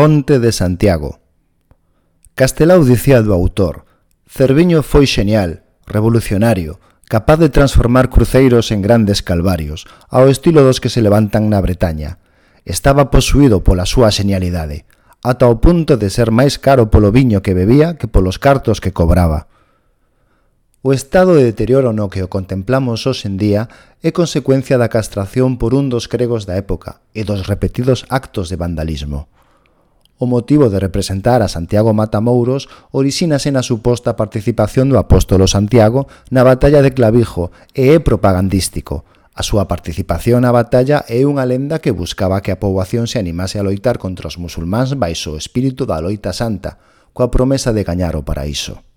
Fonte de Santiago. Castelao dicía do autor: Cerviño foi xenial, revolucionario, capaz de transformar cruceiros en grandes calvarios, ao estilo dos que se levantan na Bretaña. Estaba posuído pola súa xenialidade, ata o punto de ser máis caro polo viño que bebía que polos cartos que cobraba. O estado de deterioro no que o contemplamos hoxe en día é consecuencia da castración por un dos gregos da época e dos repetidos actos de vandalismo. O motivo de representar a Santiago Matamouros orixínase na suposta participación do apóstolo Santiago na batalla de Clavijo e é propagandístico. A súa participación na batalla é unha lenda que buscaba que a poboación se animase a loitar contra os musulmáns baixo o espírito da loita santa, coa promesa de gañar o paraíso.